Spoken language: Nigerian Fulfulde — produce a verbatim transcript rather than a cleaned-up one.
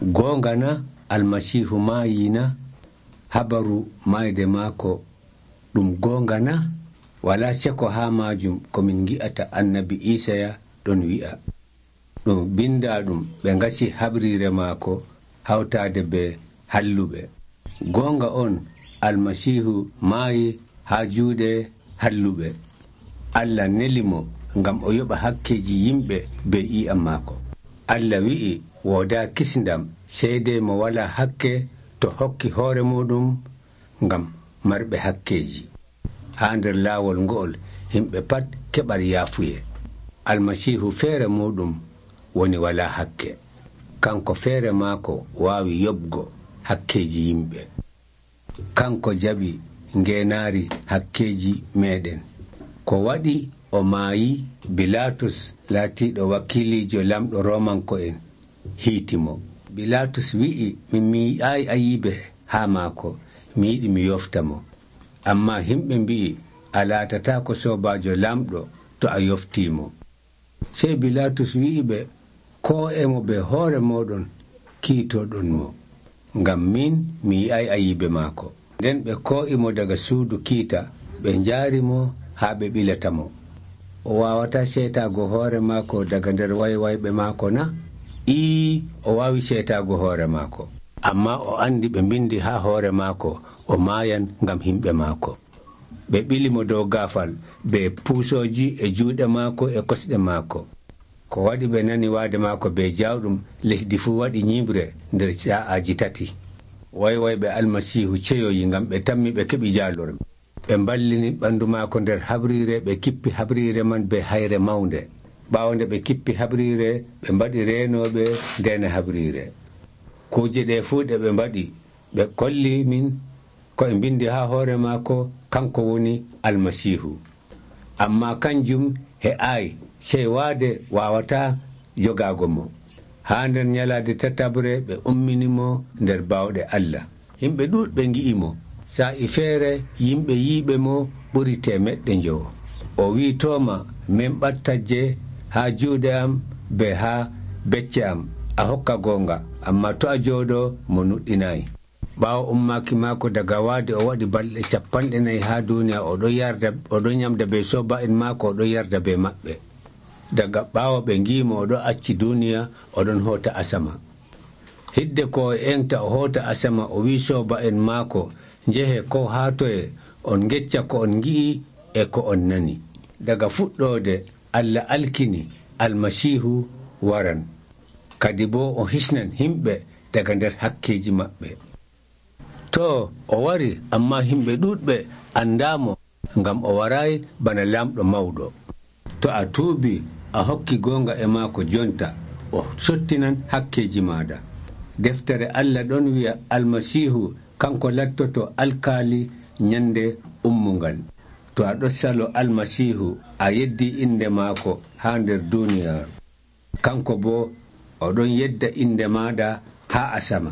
goonga na almasiihu maayina? Habaru mayde maako ɗum goonga na? Walaa seko haa maajum ko min ngi'ata annabi Iisaya ɗon wi'a. Ɗum bindaa-ɗum ɓe ngasi habriire maako hawtaade be halluɓe. Goonga on almasiihu maayi haa juuɗe halluɓe. Allah neli mo ngam o yoɓa hakkeeji yimɓe be i'am maako. Allah wi'i woodaa kisndam seydey mo walaa hakke to hokki hoore muɗum ngam marɓe hakkeeji. Haa nder laawol ngo'ol yimɓe pat keɓat yaafuye. Almasiihu feere muɗum woni walaa hakke. Kanko feere maako waawi yoɓgo hakkeeji yimɓe. Kanko jaɓi ngeenaari hakkeeji meeɗen. Ko waɗi o maayi, Bilaatus laatiiɗo wakiiliijo lamɗo Roomanko'en hiitimo. Bilaatus wi'i, min mi yi'aayi Ayiibe haa maako, mi yiɗi mi yofta mo. Ammaa himɓe mbi'i, a laatataako soobaajo lamɗo to a yoftiimo. Sey Bilaatus wi'i ɓe, koo emo be hoore mooɗon kiitooɗon mo, ngam min mi yi'ay Ayiibe maako. Nden ɓe koo'imo daga suudu kiita, ɓe njaari mo haa ɓe ɓilata mo. O waawataa seetaago hoore maako daga nder waywayɓe maako na? Ii, o waawi seetaago hoore maako. Ammaa o anndi ɓe mbindi haa hoore maako o maayan ngam himɓe maako. Ɓe ɓili mo dow gaafal be puusooji e juuɗe maako e kosɗe maako. Ko waɗi ɓe nani waade maako be jawɗum, lesdi fuu waɗi nyiibre nder sa'aaji tati. Waywayɓe almasiihu ceyoyi ngam ɓe tammi ɓe keɓi jaalorɓe. Ɓe mballini ɓanndu maako nder habriire, ɓe kippi habriire man be hayre mawnde. Ɓaawo nde ɓe kippi habriire, ɓe mbaɗi reenooɓe ndeena habriire. Kuuje ɗe fuu ɗe ɓe mbaɗi, ɓe kolli min ko e mbindi haa hoore maako kanko woni almasiihu. Ammaa kanjum he'aayi, sey waade waawataa jogaago mo. Haa nder nyalaade tatabre ɓe ummini mo nder baawɗe Allah. Yimɓe ɗuuɗɓe ngi'i mo. Saa'i feere yimɓe yiiɓe mo ɓuri teemeɗɗe njowo. O wii Tooma, min ɓattajje haa juuɗe am be haa becce am, a hokka goonga, ammaa to a jooɗoo mo nuɗɗinaayi. Ɓaawo ummaaki maako daga waade o waɗi balɗe capanɗe nayi haa duuniya, o ɗon yarda o ɗon nyamda be sooba'en maako, o ɗon yarda be maɓɓe. Daga ɓaawo ɓe ngiimo o ɗon acci duuniya, o ɗon hoota asama. Hidde ko o enta o hoota asama, o wii sooba'en maako, njehe ko haa toye on ngecca ko on ngi'i e ko on nani. Daga fuɗɗoode Allah alkini almasiihu waran, kadi boo o hisnan himɓe daga nder hakkeeji maɓɓe. To o wari, ammaa himɓe ɗuuɗɓe anndaamo ngam o waraayi bana lamɗo mawɗo. To a tuubi a hokki goonga e maako jonta, o sottinan hakkeeji maaɗa. Deftere Allah ɗon wi'a almasiihu kanko lattoto alkaali nyande ummungal. To a ɗon salo almasiihu, a yeddii inde maako haa nder duuniyaaru. Kanko boo o ɗon yedda inde maaɗa haa asama.